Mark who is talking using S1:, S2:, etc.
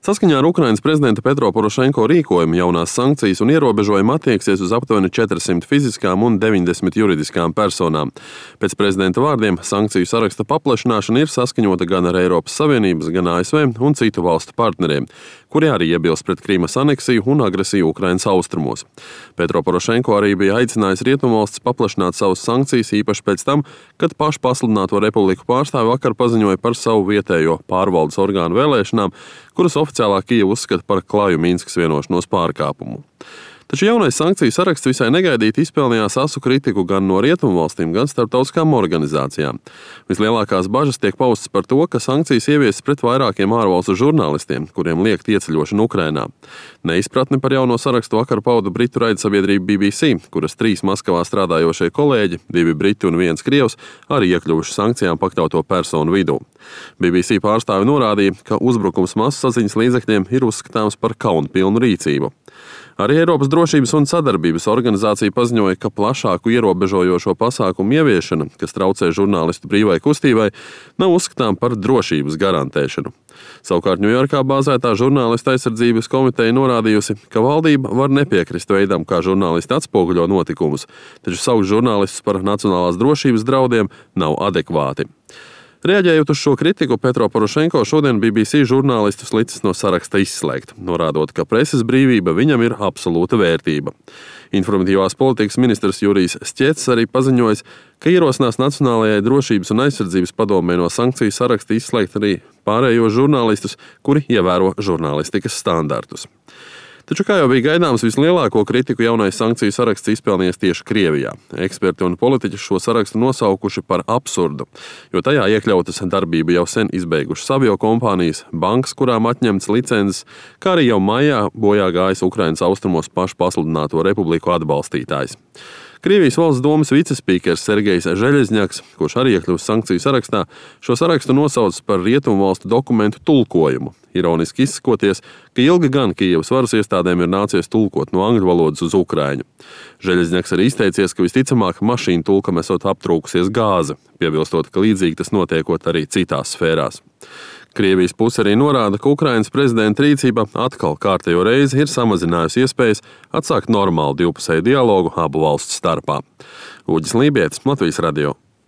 S1: Saskaņā ar Ukrainas prezidenta Petro Porošenko rīkojumu jaunās sankcijas un ierobežojumi attieksies uz aptuveni 400 fiziskām un 90 juridiskām personām. Pēc prezidenta vārdiem sankciju saraksta paplašināšana ir saskaņota gan ar Eiropas Savienības, gan ASV un citu valstu partneriem, kuri arī iebilst pret Krīmas aneksiju un agresiju Ukrainas austrumos. Petro Porošenko arī bija aicinājis rietumvalstis paplašināt savas sankcijas īpaši pēc tam, kad pašpasludināto republiku pārstāvi vakar paziņoja par savu vietējo pārvaldes orgānu vēlēšanām, kuras oficiālā Kijeva uzskata par klaju Minskas vienošanos pārkāpumu. Taču jaunais sankciju saraksts visai negaidīti izpelnījās asu kritiku gan no rietumvalstīm, gan starptautiskām organizācijām. Vislielākās bažas tiek paustas par to, ka sankcijas ieviesas pret vairākiem ārvalstu žurnālistiem, kuriem liegta ieceļošana Ukrainā. Neizpratni par jauno sarakstu vakar pauda britu raidsabiedrība BBC, kuras 3 Maskavā strādājošie kolēģi, 2 briti un 1 krievs, arī iekļuvuši sankcijām pakļauto personu vidū. BBC pārstāvi norādīja, ka uzbrukums masasaziņas līdzekļiem ir uzskatāms par kaunpilnu rīcību. Arī Eiropas drošības un sadarbības organizācija paziņoja, ka plašāku ierobežojošo pasākumu ieviešana, kas traucē žurnālistu brīvai kustībai, nav uzskatām par drošības garantēšanu. Savukārt Ņujorkā bāzētā žurnālistu aizsardzības komiteja norādījusi, ka valdība var nepiekrist veidam, kā žurnālisti atspoguļo notikumus, taču saukt žurnālistus par nacionālās drošības draudiem nav adekvāti. Reaģējot uz šo kritiku, Petro Porošenko šodien BBC žurnālistus licis no saraksta izslēgt, norādot, ka preses brīvība viņam ir absolūta vērtība. Informatīvās politikas ministrs Jurijs Šķets arī paziņojis, ka ierosinās Nacionālajai drošības un aizsardzības padomei no sankciju saraksta izslēgt arī pārējos žurnālistus, kuri ievēro žurnālistikas standartus. Taču, kā jau bija gaidāms, vislielāko kritiku jaunais sankciju saraksts izpelnījies tieši Krievijā. Eksperti un politiķi šo sarakstu nosaukuši par absurdu, jo tajā iekļautas darbību jau sen izbeigušas aviokompānijas, bankas, kurām atņemtas licences, kā arī jau maijā bojā gājis Ukrainas austrumos pašpasludināto republiku atbalstītājs. Krievijas valsts domas vicespīkers Sergejs Žeļezņaks, kurš arī iekļuvis sankciju sarakstā, šo sarakstu nosaucis par rietumu valstu dokumentu tulkojumu, ironiski izsakoties, ka ilgi gan Kijevas varas iestādēm ir nācies tulkot no angļu valodas uz ukraiņu. Žeļezņaks arī izteicies, ka visticamāk mašīnu tulkam esot aptrūkusies gāze, piebilstot, ka līdzīgi tas notiekot arī citās sfērās. Krievijas puse arī norāda, ka Ukrainas prezidenta rīcība atkal kārtējo reizi ir samazinājusi iespējas atsākt normālu divpusēju dialogu abu valstu starpā. Uģis Lībietis, Latvijas radio.